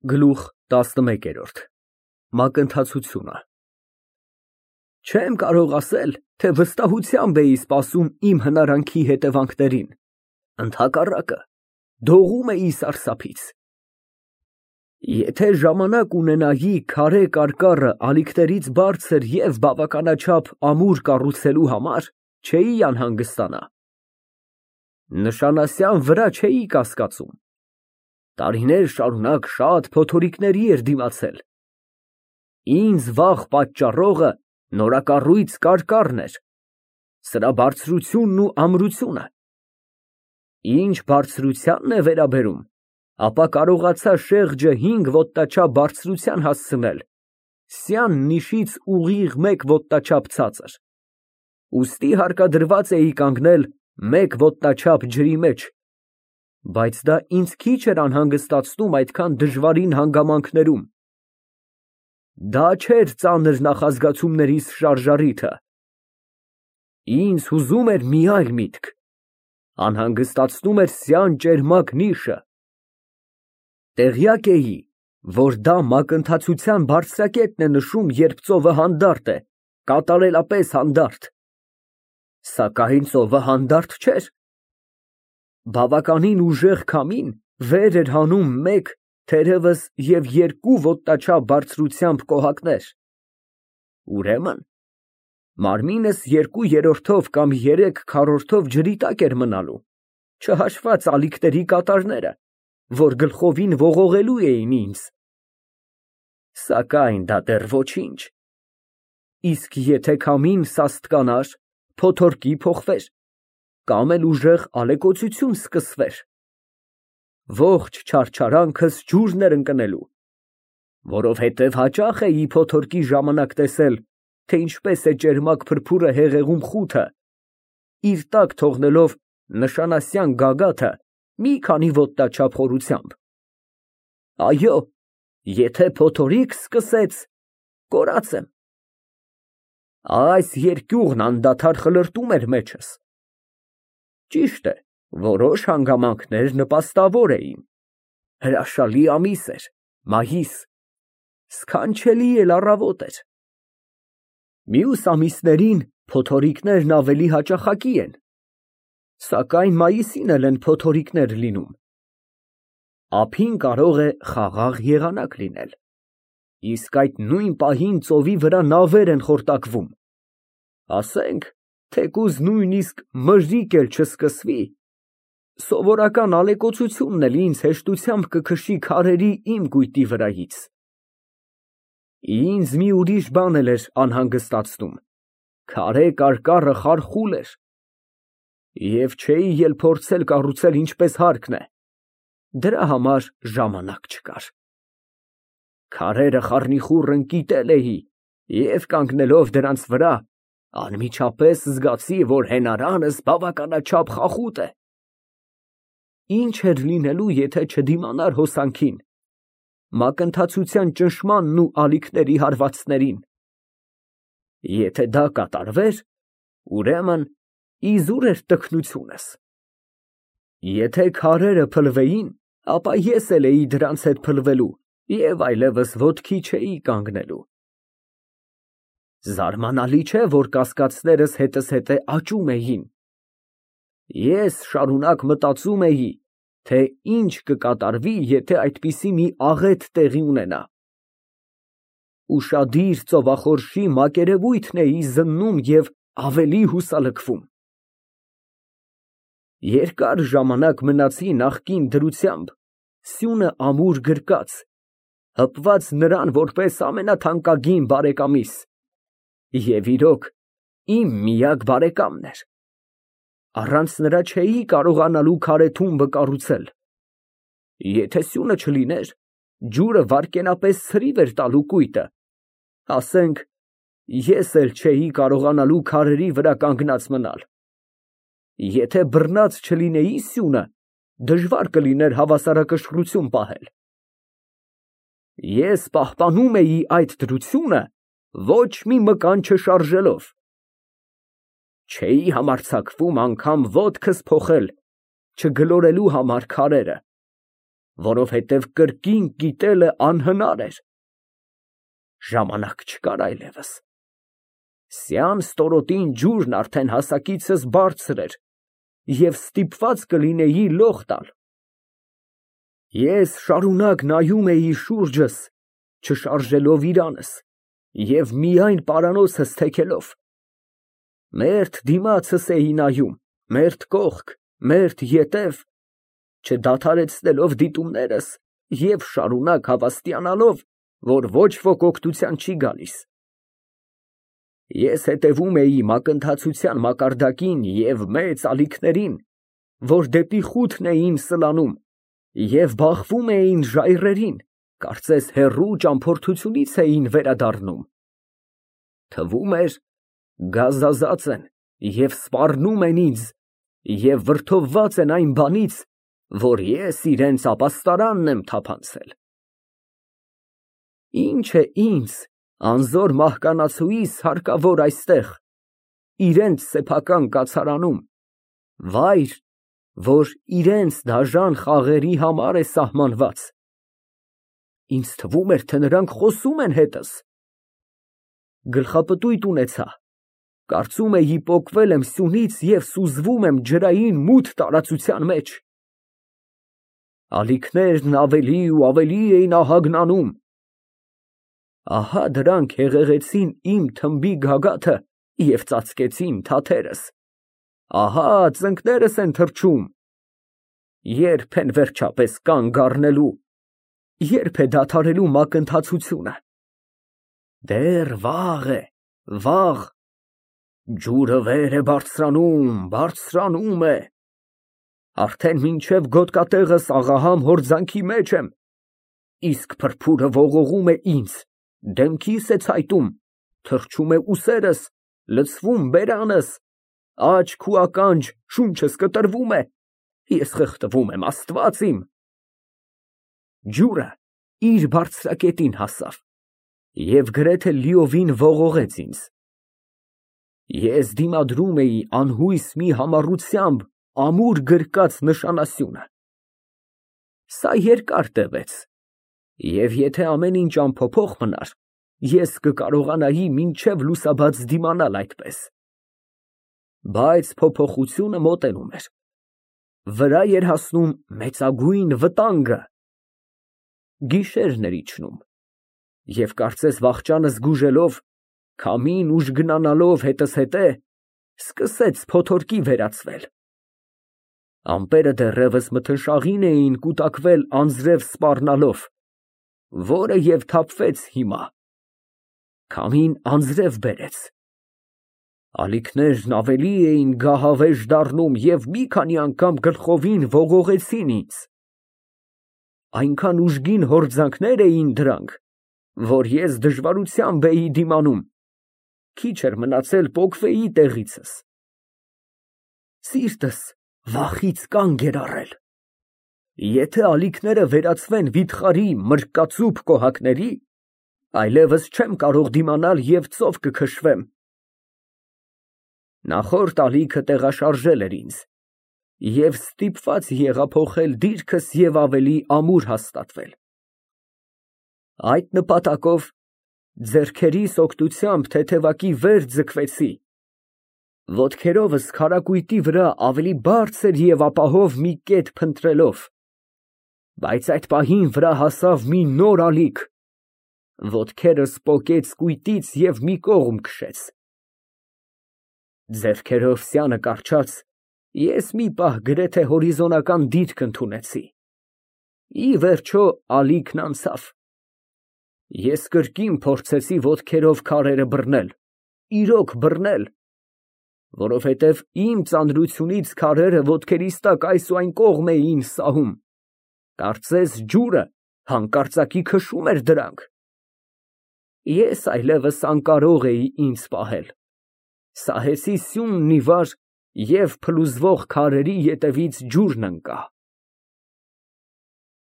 Գլուխ տասնմեկերորդ ՄԱԿԸՆԹԱՑՈՒԹՅՈՒՆԸ Չեմ կարող ասել, թե վստահությամբ էի սպասում իմ հնարանքի հետևանքներին, ընդհակառակը, դողում էի սարսափից։ Եթե ժամանակ ունենայի քարե կարկառը ալիքներից բարձր և բավականաչափ ամուր կառուցելու համար, չէի անհանգստանա։ Նշանասյան վրա չէի կասկածում։ Տարիներ շարունակ շատ փոթորիկների էր դիմացել։ Ինձ վախ պատճառողը նորակառույց կարկառն էր, սրա բարձրությունն ու ամրությունը։ Ինչ բարձրությանն է վերաբերում, ապա կարողացա շեղջը 5 ոտնաչափ բարձրության հասցնել, սյան նիշից ուղիղ 1 ոտնաչափ ցածր, ուստի հարկադրված էի կանգնել 1 ոտնաչափ ջրի մեջ, բայց դա ինձ քիչ էր անհանգստացնում այդքան դժվարին հանգամանքներում։ Դա չէր ծանր նախազգացումներիս շարժառիթը։ Ինձ հուզում էր մի այլ միտք, անհանգստացնում էր սյան ճերմակ նիշը։ Տեղյակ էի, որ դա մակընթացության բարձրակետն է նշում, երբ ծովը հանդարտ է, կատարելապես հանդարտ։ Սակայն ծովը հանդարտ չէր։ Բավականին ուժեղ քամին վեր էր հանում 1, թերևս և 2 ոտնաչափ բարձրությամբ կոհակներ։ Ուրեմն մարմինս 2/3 կամ 3/4 ջրի տակ էր մնալու, չհաշված ալիքների կատարները, որ գլխովին ողողելու էին ինձ։ Սակայն դա դեռ ոչինչ։ Իսկ եթե քամին սաստկանար, փոթորկի փոխվեր, կամ էլ ուժեղ ալեկոծություն սկսվեր, ողջ չարչարանքս ջուրն էր ընկնելու, որովհետև հաճախ էի փոթորկի ժամանակ տեսել, թե ինչպես է ճերմակ փրփուրը հեղեղում խութը, իր տակ թողնելով նշանասյան գագաթը մի քանի ոտնաչափ խորությամբ։ Այո, եթե փոթորիկ սկսեց, կորած եմ։ Այս երկյուղն անդադար խլրտում էր մեջս։ Ճիշտ է, որոշ հանգամանքներ նպաստավոր էին։ Հրաշալի ամիս էր, մայիս, սքանչելի էլ առավոտ էր։ Մյուս ամիսներին փոթորիկներն ավելի հաճախակի են, սակայն մայիսին էլ են փոթորիկներ լինում։ Ափին կարող է խաղաղ եղանակ լինել, իսկ այդ նույն պահին ծովի վրա նավեր են խորտակվում։ Ասենք, թեկուզ նույնիսկ մրրիկ էլ չսկսվի, սովորական ալեկոծությունն էլ ինձ հեշտությամբ կքշի քարերի իմ կույտի վրայից։ Ինձ մի ուրիշ բան էլ էր անհանգստացնում. քարե կարկառը խարխուլ էր, և չէի էլ փորձել կառուցել ինչպես հարկն է, դրա համար ժամանակ չկար։ Քարերը խառնիխուռն կիտել էի և կանգնելով դրանց վրա, անմիջապես զգացի, որ հենարանս բավականաչափ խախուտ է։ Ինչ էր լինելու, եթե չդիմանար հոսանքին, մակընթացության ճնշմանն ու ալիքների հարվածներին։ Եթե դա կատարվեր, ուրեմն իզուր էր տքնությունս։ Եթե քարերը փլվեին, ապա ես էլ էի դրանց հետ փլվելու և այլևս ոտքի չէի կանգնելու։ Զարմանալի չէ, որ կասկածներս հետզհետե աճում էին։ Ես շարունակ մտածում էի, թե ինչ կկատարվի, եթե այդպիսի մի աղետ տեղի ունենա։ Ուշադիր ծովախորշի մակերևույթն էի զննում և ավելի հուսալքվում։ Երկար ժամանակ մնացի նախկին դրությամբ, սյունը ամուր գրկած, հպված նրան որպես ամենաթանկագին բարեկամիս, և իրոք, իմ միակ բարեկամն էր։ Առանց նրա չէի կարողանալու քարե թումբը կառուցել։ Եթե սյունը չլիներ, ջուրը վայրկենապես ցրիվ էր տալու կույտը, ասենք, ես էլ չէի կարողանալու քարերի վրա կանգնած մնալ։ Եթե բռնած չլինեի սյունը, դժվար կլիներ հավասարակշռություն պահել։ Ես պահպանում էի այդ դրությունը ոչ մի մկան չշարժելով։ Չէի համարձակվում անգամ ոտքս փոխել, չգլորելու համար քարերը, որովհետև կրկին կիտելը անհնար էր։ Ժամանակ չկար այլևս։ Սյան ստորոտին ջուրն արդեն հասակիցս բարձր էր և ստիպված կլինեի լող տալ։ Ես շարունակ նայում էի շուրջս, չշարժելով իրանս և միայն պարանոցս թեքելով։ Մերթ դիմացս էի նայում, մերթ կողք, մերթ ետև, չդադարեցնելով դիտումներս և շարունակ հավաստիանալով, որ ոչ ոք օգնության չի գալիս։ Ես հետևում էի մակընթացության մակարդակին և մեծ ալիքներին, որ դեպի խութն էին սլանում, և բախվում էին ժայռերին, կարծես հեռու ճամփորդությունից էին վերադառնում։ Թվում էր, գազազած են և սպառնում են ինձ և վրդովված են այն բանից, որ ես իրենց ապաստարանն եմ թափանցել։ Ինչ է ինձ, անզոր մահկանացուիս հարկավոր այստեղ, իրենց սեփական կացարանում, վայր, որ իրենց դաժան խաղերի համար է սահմանված։ Ինձ թվում էր, թե նրանք խոսում են հետս։ Գլխապտույտ ունեցա, կարծում էի պոկվել եմ սյունից և սուզվում եմ ջրային մութ տարածության մեջ։ Ալիքներն ավելի ու ավելի էին ահագնանում։ Ահա դրանք հեղեղեցին իմ թմբի գագաթը և ծածկեցին թաթերս։ Ահա ծնկներս են թռչում։ Ե՞րբ են վերջապես կանգ առնելու, ե՞րբ է դադարելու մակընթացությունը։ Դեռ վաղ է, վաղ։ Ջուրը վեր է բարձրանում, բարձրանում է։ Արդեն մինչև գոտկատեղս աղահամ հորձանքի մեջ եմ, իսկ փրփուրը ողողում է ինձ, դեմքիս է ցայտում, թռչում է ուսերս, լցվում բերանս, աչք ու ականջ, շունչս կտրվում է, ես խեղդվում եմ, Աստված իմ։ Ջուրը իր բարձրակետին հասավ և գրեթե լիովին ողողեց ինձ։ Ես դիմադրում էի անհույս մի համառությամբ ամուր գրկած նշանասյունը։ Սա երկար տևեց, և եթե ամեն ինչ անփոփոխ մնար, ես կկարողանայի մինչև լուսաբաց դիմանալ այդպես։ Բայց փոփոխությունը մոտենում էր, վրա էր հասնում մեծագույն վտանգը։ Գիշերն էր իջնում, և կարծես վախճանը զգուժելով, քամին ուժգնանալով հետզհետե, սկսեց փոթորկի վերածվել։ Ամպերը դեռևս մթնշաղին էին կուտակվել անձրև սպառնալով, որը և թափվեց հիմա։ Քամին անձրև բերեց։ Ալիքներն ավելի էին գահավեժ դառնում և մի քանի անգամ գլխովին ողողեցին ինձ։ Այնքան ուժգին հորձանքներ էին դրանք, որ ես դժվարությամբ էի դիմանում, քիչ էր մնացել պոկվեի տեղիցս։ Սիրտս վախից կանգ էր առել։ Եթե ալիքները վերածվեն վիթխարի մրրկածուփ կոհակների, այլևս չեմ կարող դիմանալ և ծով կքշվեմ։ Նախորդ ալիքը տեղաշարժել էր ինձ, և ստիպված եղա փոխել դիրքս և ավելի ամուր հաստատվել։ Այդ նպատակով ձեռքերիս օգնությամբ թեթևակի վեր ձգվեցի, ոտքերովս քարակույտի վրա ավելի բարձր և ապահով մի կետ փնտրելով, բայց այդ պահին վրա հասավ մի նոր ալիք, ոտքերս պոկեց կույտից և մի կողմ քշեց։ Ձեռքերով սյանը կառչած, ես մի պահ գրեթե հորիզոնական դիրք ընդունեցի։ Ի վերջո ալիքն անցավ։ Ես կրկին փորձեցի ոտքերով քարերը բռնել, իրոք բռնել, որովհետև իմ ծանրությունից քարերը ոտքերիս տակ այս ու այն կողմ էին սահում, կարծես ջուրը հանկարծակի քշում էր դրանք։ Ես այլևս անկարող էի ինձ պահել, սահեցի սյունն ի վար և փլուզվող քարերի ետևից ջուրն ընկա։